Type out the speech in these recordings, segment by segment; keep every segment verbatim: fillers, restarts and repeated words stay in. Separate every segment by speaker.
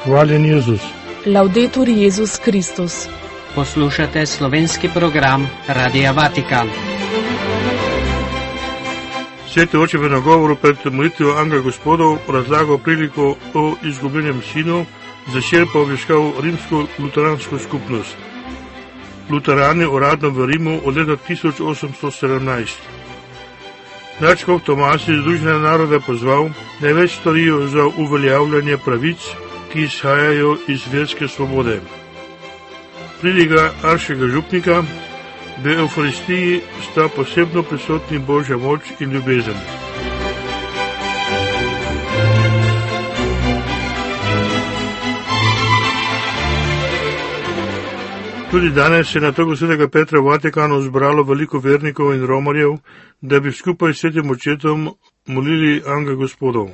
Speaker 1: Hvaljen Jezus.
Speaker 2: Laudetur Jezus Kristus.
Speaker 3: Poslušate slovenski program Radia Vatikan.
Speaker 1: Sveti oče v nagovoru pred molitvijo Angela Gospodov razlagal priliko o izgubljenem sinu, začer pa obiskal rimsko-luteransko skupnost. Luterani uradno v Rimu od leta tisoč osemsto sedemnajst. Nadškof Tomas iz Združenega naroda pozval, naj več storijo za uveljavljanje pravic, ki izhajajo iz verske svobode. Pridiga arškega župnika, v Evharistiji sta posebno prisotni Božja moč in ljubezen. Tudi danes se je na trgu svetega Petra v Vatikanu zbralo veliko vernikov in romarjev, da bi skupaj s svetim očetom molili Angela Gospodov.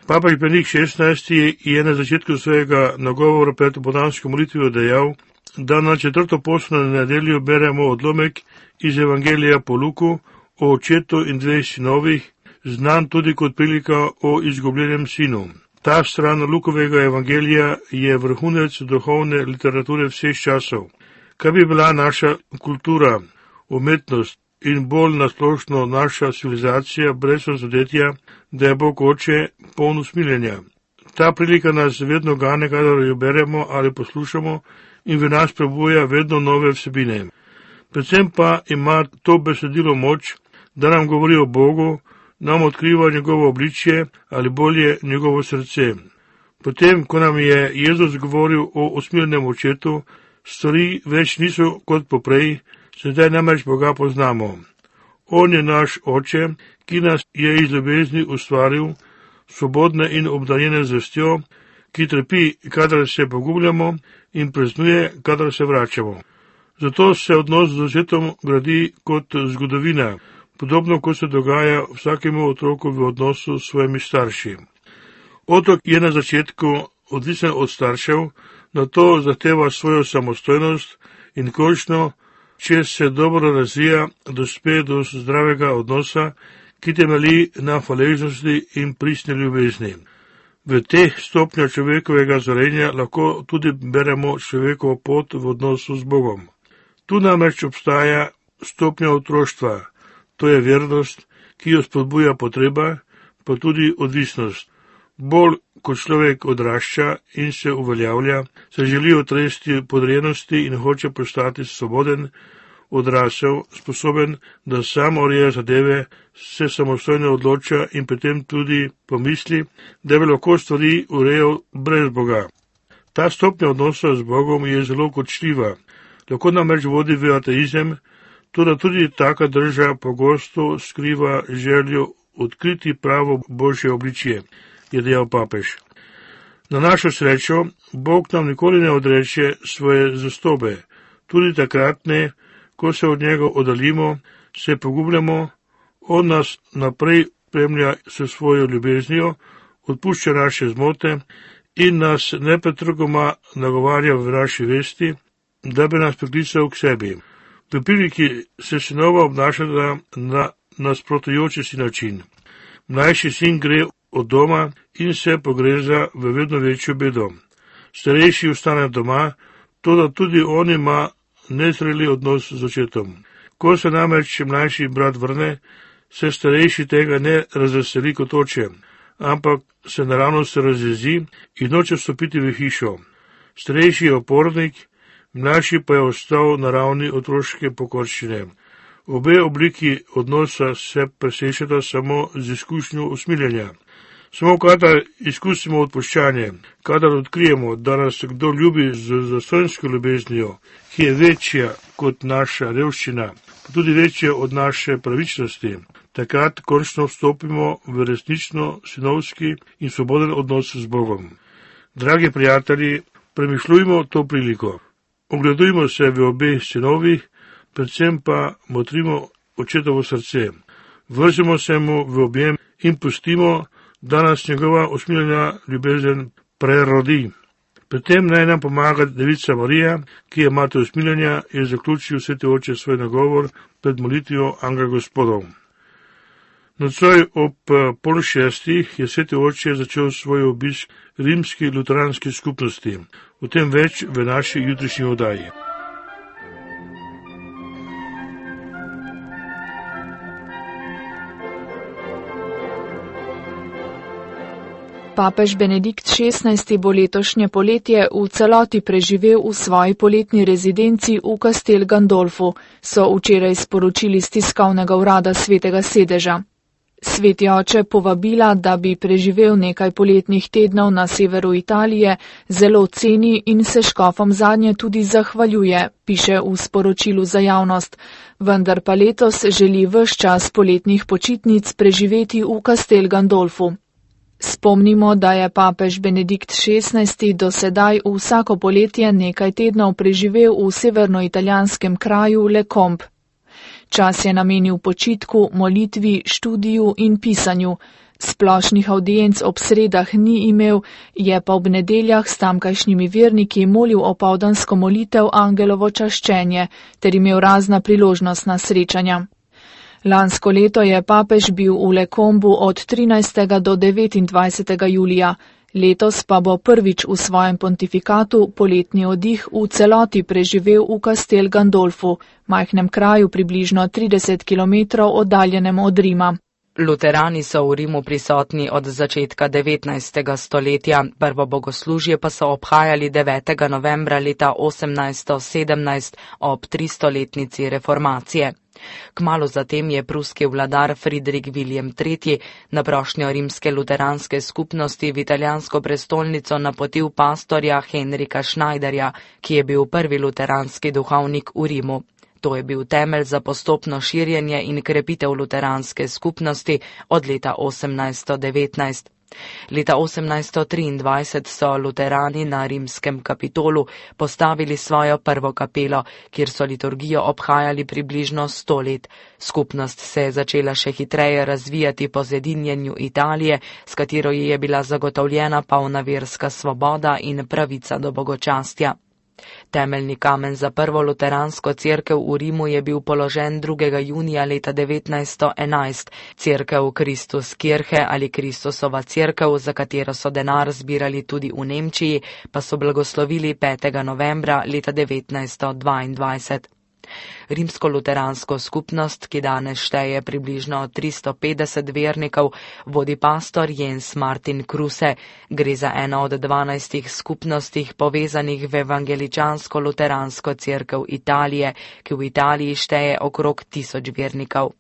Speaker 1: Papež Benedikt šestnajsti je na začetku svojega nagovora pred popoldansko molitvijo dejal, da na četrto postno nedeljo beremo odlomek iz Evangelija po Luku o očetu in dveh sinovih, znan tudi kot prilika o izgubljenem sinu. Ta stran Lukovega evangelija je vrhunec duhovne literature vseh časov. Kaj bi bila naša kultura, umetnost in bolj nasplošno naša civilizacija brez razodetja, da je Bog oče poln usmiljenja. Ta prilika nas vedno gane, kadar jo beremo ali poslušamo, in v nas prebuja vedno nove vsebine. Predvsem pa ima to besedilo moč, da nam govori o Bogu, nam odkriva njegovo obličje ali bolje njegovo srce. Potem, ko nam je Jezus govoril o usmiljenem očetu, stvari več niso kot poprej, sedaj namreč Boga poznamo. On je naš oče, ki nas je iz ljubezni ustvaril, svobodne in obdarjene z vestjo, ki trpi, kadar se pogubljamo, in praznuje, kadar se vračamo. Zato se odnos z očetom gradi kot zgodovina, podobno kot se dogaja vsakemu otroku v odnosu s svojimi starši. Otrok je na začetku odvisen od staršev, nato zahteva svojo samostojnost in končno, če se dobro razvija, dospe do zdravega odnosa, ki temelji na hvaležnosti in pristni ljubezni. V teh stopnjah človekovega zorenja lahko tudi beremo človekovo pot v odnosu z Bogom. Tu namreč obstaja stopnja otroštva, to je vernost, ki jo spodbuja potreba, pa tudi odvisnost. Bolj ko človek odrašča in se uveljavlja, se želi otresti podrejenosti in hoče postati svoboden, odrasel, sposoben, da sam ureja zadeve, se samostojno odloča in potem tudi pomisli, da bi lahko stvari urejal brez Boga. Ta stopnja odnosa z Bogom je zelo kočljiva, lahko namreč vodi v ateizem, tudi tudi taka drža pogosto skriva željo odkriti pravo Božje obličje, je dejal papež. Na našo srečo, Bog nam nikoli ne odreče svoje zvestobe, tudi takrat ne, ko se od njega oddaljimo, se pogubljamo, on nas naprej spremlja s svojo ljubeznijo, odpušča naše zmote in nas nepretrgoma nagovarja v naši vesti, da bi nas priklical k sebi. V priliki se sinova obnašata na nasprotujoči si način. Mlajši sin gre od doma in se pogreza v vedno večjo bedo. Starejši ostane doma, toda tudi on ima nezreli odnos z očetom. Ko se namreč mlajši brat vrne, se starejši tega ne razveseli kot oče, ampak se naravno se razjezi in noče vstopiti v hišo. Starejši je opornik, mlajši pa je ostal na ravni otroške pokorščine. Obe obliki odnosa se presešata samo z izkušnjo usmiljenja. Samo kadar izkusimo odpuščanje, kadar odkrijemo, da nas kdo ljubi z zastonjsko ljubeznijo, ki je večja kot naša revščina, pa tudi večja od naše pravičnosti, takrat končno vstopimo v resnično sinovski in svoboden odnos z Bogom. Dragi prijatelji, premišljujmo to priliko. Ogledujmo se v obeh sinovih, predvsem pa motrimo očetovo srce. Vržimo se mu v objem in pustimo, da nas njegova usmiljena ljubezen prerodi. Pri tem naj nam pomaga Devica Marija, ki je mati usmiljenja, je zaključil sveti oče svoj nagovor pred molitvijo Angela Gospodov. Nocoj ob pol šestih je sveti oče začel svoj obisk rimski luteranski skupnosti. O tem več v naši jutrišnji oddaji.
Speaker 2: Papež Benedikt šestnajsti bo letošnje poletje v celoti preživel v svoji poletni rezidenci v Castel Gandolfu, so včeraj sporočili z tiskovnega urada svetega sedeža. Sveti oče povabila, da bi preživel nekaj poletnih tednov na severu Italije, zelo ceni in se škofom zadnje tudi zahvaljuje, piše v sporočilu za javnost, vendar pa letos želi ves čas poletnih počitnic preživeti v Castel Gandolfu. Spomnimo, da je papež Benedikt šestnajsti do sedaj vsako poletje nekaj tednov preživel v severnoitalijanskem kraju Le Combe. Čas je namenil počitku, molitvi, študiju in pisanju. Splošnih avdienc ob sredah ni imel, je pa ob nedeljah s tamkajšnjimi verniki molil opoldansko molitev Angelovo čaščenje ter imel razna priložnostna srečanja. Lansko leto je papež bil v Le Combu od trinajstega do devetindvajsetega julija. Letos pa bo prvič v svojem pontifikatu poletni oddih v celoti preživel v Castel Gandolfu, majhnem kraju približno trideset kilometrov oddaljenem od Rima.
Speaker 4: Luterani so v Rimu prisotni od začetka devetnajstega stoletja, prvo bogoslužje pa so obhajali devetega novembra leta osemnajststo sedemnajst ob tristoletnici reformacije. Kmalu zatem je pruski vladar Friedrich Wilhelm tretji na prošnjo rimske luteranske skupnosti v italijansko prestolnico napotil pastorja Henrika Schneiderja, ki je bil prvi luteranski duhovnik v Rimu. To je bil temelj za postopno širjenje in krepitev luteranske skupnosti od leta osemnajststo devetnajst. Leta osemnajststo triindvajset so luterani na rimskem Kapitolu postavili svojo prvo kapelo, kjer so liturgijo obhajali približno sto let. Skupnost se je začela še hitreje razvijati po zedinjenju Italije, s katero ji je bila zagotovljena polna verska svoboda in pravica do bogočastja. Temeljni kamen za prvo luteransko cerkev v Rimu je bil položen drugega junija leta devetnajststo enajst. Cerkev Kristus Kirche ali Kristusova cerkev, za katero so denar zbirali tudi v Nemčiji, pa so blagoslovili petega novembra leta devetnajststo dvaindvajset. Rimsko-luteransko skupnost, ki danes šteje približno tristo petdeset vernikov, vodi pastor Jens Martin Kruse. Gre za eno od dvanajstih skupnostih povezanih v evangeličansko-luteransko cerkev Italije, ki v Italiji šteje okrog tisoč vernikov.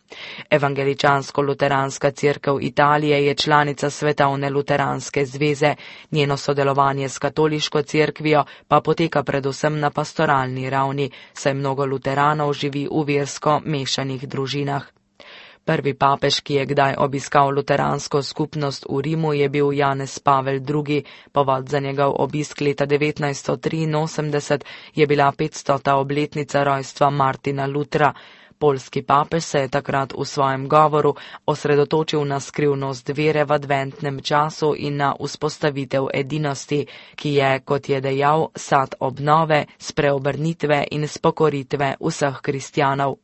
Speaker 4: Evangeličansko-luteranska cerkev Italije je članica Svetovne luteranske zveze, njeno sodelovanje s katoliško cerkvijo pa poteka predvsem na pastoralni ravni, saj mnogo luteranov živi v versko mešanih družinah. Prvi papež, ki je kdaj obiskal luteransko skupnost v Rimu, je bil Janez Pavel drugi. Povod za njegov obisk leta devetnajststo triinosemdeset je bila petstota obletnica rojstva Martina Lutra. Poljski papež se je takrat v svojem govoru osredotočil na skrivnost vere v adventnem času in na vzpostavitev edinosti, ki je, kot je dejal, sad obnove, spreobrnitve in spokoritve vseh kristjanov.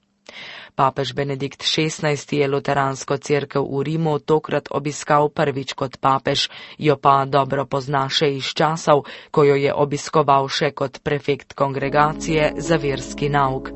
Speaker 4: Papež Benedikt šestnajsti je luteransko cerkev v Rimu tokrat obiskal prvič kot papež, jo pa dobro pozna še iz časov, ko jo je obiskoval še kot prefekt kongregacije za verski nauk.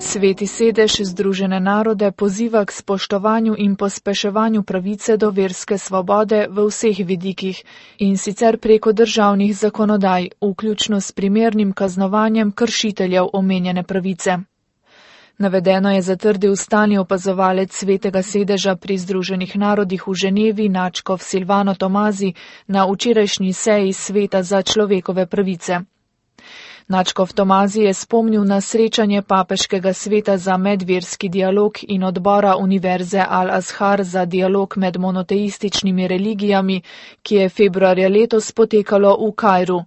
Speaker 2: Sveti sedež Združene narode poziva k spoštovanju in pospeševanju pravice do verske svobode v vseh vidikih in sicer preko državnih zakonodaj, vključno s primernim kaznovanjem kršiteljev omenjene pravice. Navedeno je zatrdil stalni opazovalec svetega sedeža pri Združenih narodih v Ženevi nadškof Silvano Tomazi na včerajšnji seji Sveta za človekove pravice. Nadškof Tomazi je spomnil na srečanje papeškega sveta za medverski dialog in odbora Univerze Al-Azhar za dialog med monoteističnimi religijami, ki je februarja letos potekalo v Kairu.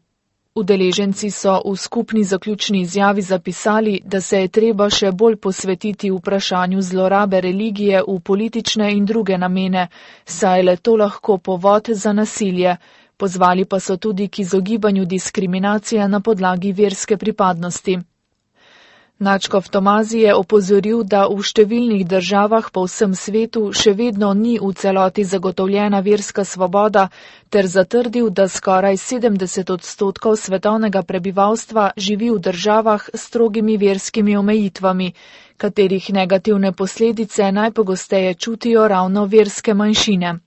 Speaker 2: Udeleženci so v skupni zaključni izjavi zapisali, da se je treba še bolj posvetiti vprašanju zlorabe religije v politične in druge namene, saj le to lahko povod za nasilje. Pozvali pa so tudi k izogibanju diskriminacije na podlagi verske pripadnosti. Nadškof Tomazi je opozoril, da v številnih državah po vsem svetu še vedno ni v celoti zagotovljena verska svoboda, ter zatrdil, da skoraj sedemdeset odstotkov svetovnega prebivalstva živi v državah s strogimi verskimi omejitvami, katerih negativne posledice najpogosteje čutijo ravno verske manjšine.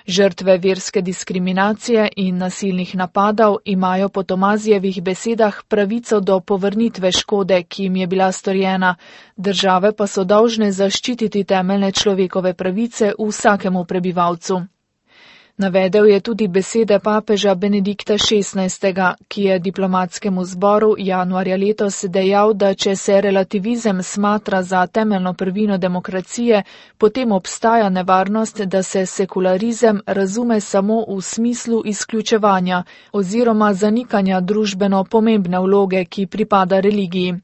Speaker 2: Žrtve verske diskriminacije in nasilnih napadov imajo po Tomazijevih besedah pravico do povrnitve škode, ki jim je bila storjena, države pa so dolžne zaščititi temeljne človekove pravice vsakemu prebivalcu. Navedel je tudi besede papeža Benedikta šestnajstega, ki je diplomatskemu zboru januarja letos dejal, da če se relativizem smatra za temeljno prvino demokracije, potem obstaja nevarnost, da se sekularizem razume samo v smislu izključevanja oziroma zanikanja družbeno pomembne vloge, ki pripada religiji.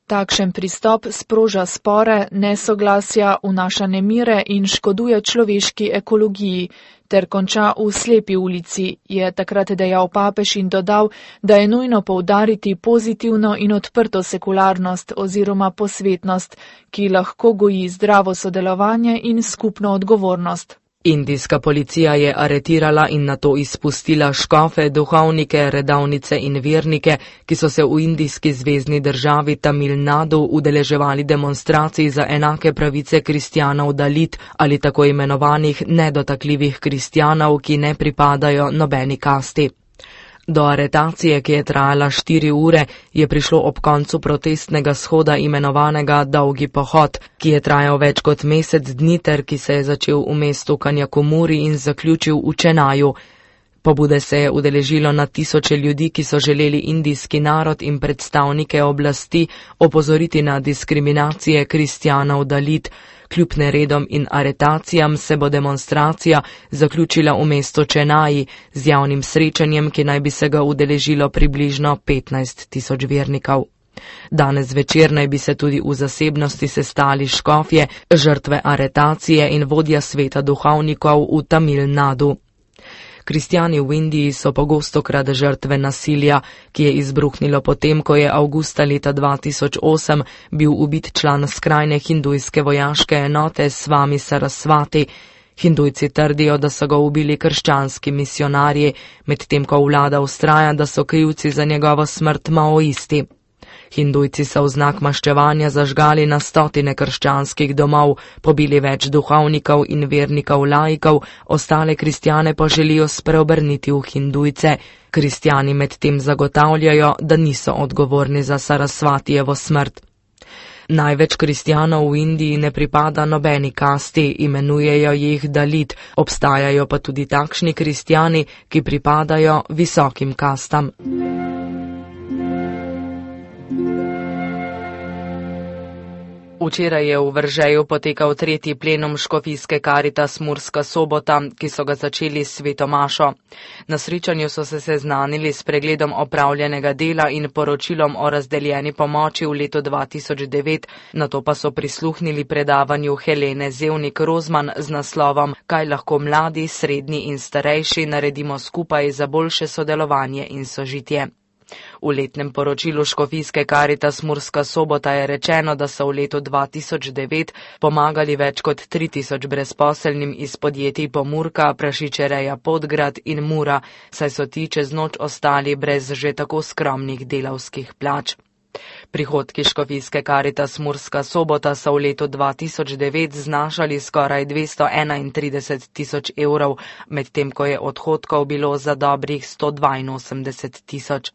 Speaker 2: Takšen pristop sproža spore, nesoglasja, vnaša nemire in škoduje človeški ekologiji, ter konča v slepi ulici, je takrat dejal papež in dodal, da je nujno poudariti pozitivno in odprto sekularnost oziroma posvetnost, ki lahko goji zdravo sodelovanje in skupno odgovornost.
Speaker 4: Indijska policija je aretirala in nato izpustila škofe, duhovnike, redavnice in vernike, ki so se v indijski zvezni državi Tamil Nadu udeleževali demonstracij za enake pravice kristjanov Dalit ali tako imenovanih nedotakljivih kristjanov, ki ne pripadajo nobeni kasti. Do aretacije, ki je trajala štiri ure, je prišlo ob koncu protestnega shoda imenovanega Dolgi pohod, ki je trajal več kot mesec dni ter ki se je začel v mestu Kanjakumuri in zaključil v Čenaju. Pobude se je udeležilo na tisoče ljudi, ki so želeli indijski narod in predstavnike oblasti opozoriti na diskriminacije kristjanov Dalit. Kljub neredom in aretacijam se bo demonstracija zaključila v mestu Čenaji z javnim srečanjem, ki naj bi se ga udeležilo približno petnajst tisoč vernikov. Danes večer naj bi se tudi v zasebnosti sestali škofje, žrtve aretacije in vodja sveta duhovnikov v Tamil Nadu. Kristjani v Indiji so pogostokrat žrtve nasilja, ki je izbruhnilo potem, ko je avgusta leta dva tisoč osem bil ubit član skrajne hindujske vojaške enote Svami Sarasvati. Hindujci trdijo, da so ga ubili krščanski misionarji, medtem ko vlada vztraja, da so krivci za njegovo smrt maoisti. Hindujci so v znak maščevanja zažgali na stotine krščanskih domov, pobili več duhovnikov in vernikov laikov, ostale kristjane pa želijo spreobrniti v hindujce. Kristjani medtem zagotavljajo, da niso odgovorni za Sarasvatijevo smrt. Največ kristjanov v Indiji ne pripada nobeni kasti, imenujejo jih Dalit, obstajajo pa tudi takšni kristjani, ki pripadajo visokim kastam. Včeraj je v Veržeju potekal tretji plenum škofijske Karitas Murska Sobota, ki so ga začeli s sveto mašo. Na srečanju so se seznanili s pregledom opravljenega dela in poročilom o razdeljeni pomoči v letu dva tisoč devet, nato pa so prisluhnili predavanju Helene Zevnik Rozman z naslovom Kaj lahko mladi, srednji in starejši naredimo skupaj za boljše sodelovanje in sožitje. V letnem poročilu škofijske Karitas Murska Sobota je rečeno, da so v letu dva tisoč devet pomagali več kot tri tisoč brezposelnim iz podjetij Pomurka, Prašičereja Podgrad in Mura, saj so ti čez noč ostali brez že tako skromnih delavskih plač. Prihodki škofijske Karitas Murska Sobota so v letu dva tisoč devet znašali skoraj dvesto enaintrideset tisoč evrov, medtem ko je odhodkov bilo za dobrih sto dvainosemdeset tisoč.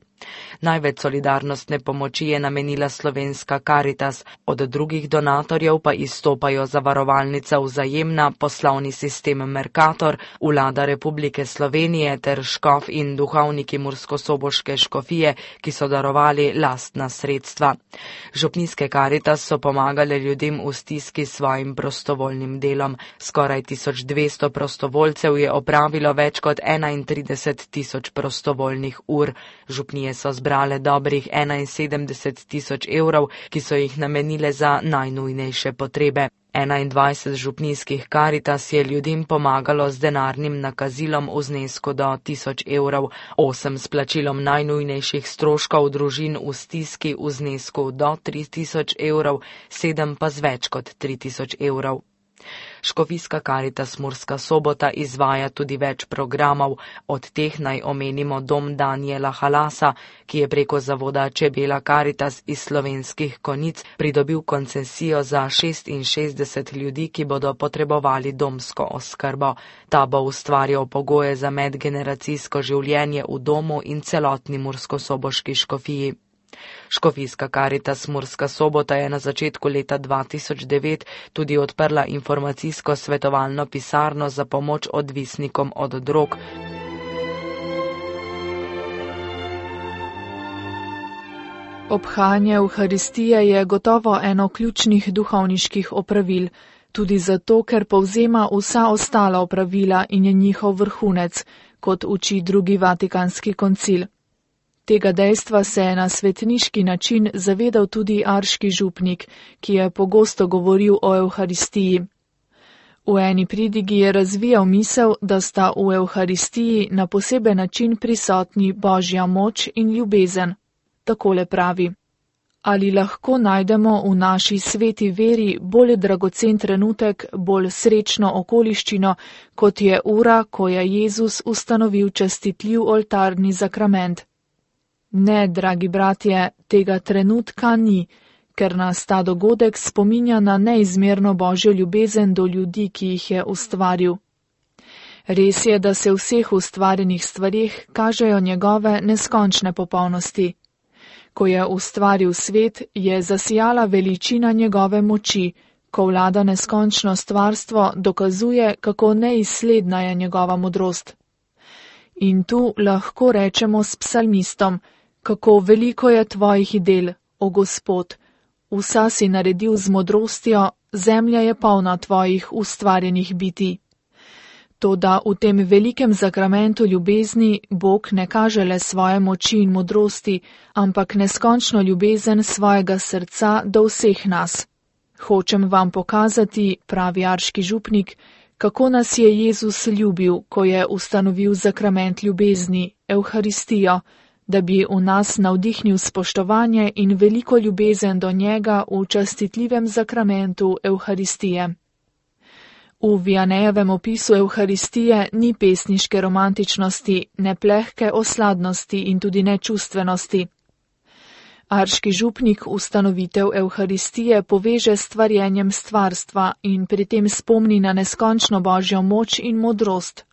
Speaker 4: Največ solidarnostne pomoči je namenila slovenska Karitas, od drugih donatorjev pa izstopajo Zavarovalnica Vzajemna, poslovni sistem Mercator, Vlada Republike Slovenije ter škof in duhovniki Murskosoboške škofije, ki so darovali lastna sredstva. Župnijske Karitas so pomagale ljudem v stiski s svojim prostovoljnim delom. Skoraj tisoč dvesto prostovoljcev je opravilo več kot enaintrideset tisoč prostovoljnih ur. Župnije so zbrale dobrih enainsedemdeset tisoč evrov, ki so jih namenile za najnujnejše potrebe. enaindvajset župnijskih Karitas je ljudem pomagalo z denarnim nakazilom v znesku do tisoč evrov, osem s plačilom najnujnejših stroškov družin v stiski v znesku do tri tisoč evrov, sedem pa z več kot tri tisoč evrov. Škofijska Karitas Murska Sobota izvaja tudi več programov, od teh naj omenimo Dom Danijela Halasa, ki je preko zavoda Čebela Karitas iz Slovenskih Konjic pridobil koncesijo za šestinšestdeset ljudi, ki bodo potrebovali domsko oskrbo. Ta bo ustvarjal pogoje za medgeneracijsko življenje v domu in celotni murskosoboški škofiji. Škofijska Karitas Murska Sobota je na začetku leta dva tisoč devet tudi odprla informacijsko svetovalno pisarno za pomoč odvisnikom od drog.
Speaker 2: Obhajanje Evharistije je gotovo eno ključnih duhovniških opravil, tudi zato, ker povzema vsa ostala opravila in je njihov vrhunec, kot uči drugi Vatikanski koncil. Tega dejstva se je na svetniški način zavedal tudi arški župnik, ki je pogosto govoril o Evharistiji. V eni pridigi je razvijal misel, da sta v Evharistiji na poseben način prisotni Božja moč in ljubezen. Takole pravi: ali lahko najdemo v naši sveti veri bolj dragocen trenutek, bolj srečno okoliščino, kot je ura, ko je Jezus ustanovil častitljiv oltarni zakrament? Ne, dragi bratje, tega trenutka ni, ker nas ta dogodek spominja na neizmerno Božjo ljubezen do ljudi, ki jih je ustvaril. Res je, da se v vseh ustvarjenih stvarih kažejo njegove neskončne popolnosti. Ko je ustvaril svet, je zasijala veličina njegove moči, ko vlada neskončno stvarstvo, dokazuje, kako neizsledna je njegova modrost. In tu lahko rečemo s psalmistom: kako veliko je tvojih del, o Gospod, vsa si naredil z modrostjo, zemlja je polna tvojih ustvarjenih biti. Toda v tem velikem zakramentu ljubezni Bog ne kaže le svoje moči in modrosti, ampak neskončno ljubezen svojega srca do vseh nas. Hočem vam pokazati, pravi arški župnik, kako nas je Jezus ljubil, ko je ustanovil zakrament ljubezni, Evharistijo, da bi v nas navdihnil spoštovanje in veliko ljubezen do njega v častitljivem zakramentu Evharistije. V Vianejevem opisu Evharistije ni pesniške romantičnosti, ne plehke osladnosti in tudi ne čustvenosti. Arški župnik ustanovitev Evharistije poveže s stvarjenjem stvarstva in pri tem spomni na neskončno Božjo moč in modrost.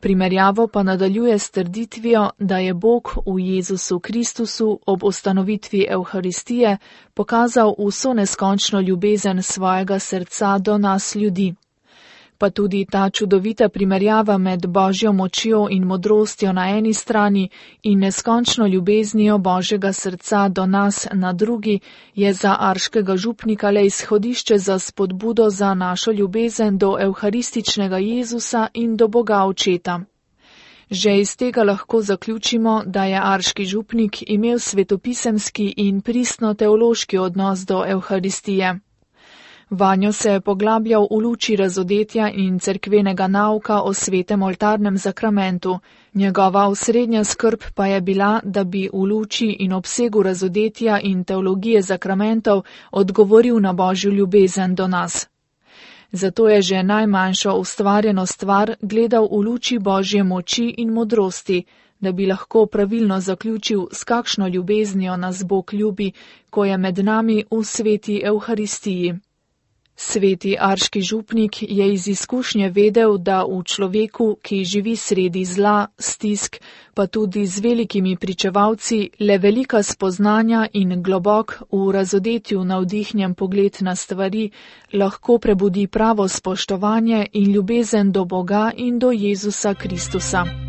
Speaker 2: Primerjavo pa nadaljuje s trditvijo, da je Bog v Jezusu Kristusu ob ustanovitvi Evharistije pokazal vso neskončno ljubezen svojega srca do nas ljudi. Pa tudi ta čudovita primerjava med Božjo močjo in modrostjo na eni strani in neskončno ljubeznijo Božjega srca do nas na drugi je za arškega župnika le izhodišče za spodbudo za našo ljubezen do evharističnega Jezusa in do Boga Očeta. Že iz tega lahko zaključimo, da je arški župnik imel svetopisemski in pristno-teološki odnos do Evharistije. Vanjo se je poglabljal v luči razodetja in cerkvenega nauka o svetem oltarnem zakramentu, njegova osrednja skrb pa je bila, da bi v luči in obsegu razodetja in teologije zakramentov odgovoril na Božjo ljubezen do nas. Zato je že najmanjšo ustvarjeno stvar gledal v luči Božje moči in modrosti, da bi lahko pravilno zaključil, s kakšno ljubeznijo nas Bog ljubi, ko je med nami v sveti Evharistiji. Sveti arški župnik je iz izkušnje vedel, da v človeku, ki živi sredi zla, stisk, pa tudi z velikimi pričevalci, le velika spoznanja in globok v razodetju navdihnjen pogled na stvari lahko prebudi pravo spoštovanje in ljubezen do Boga in do Jezusa Kristusa.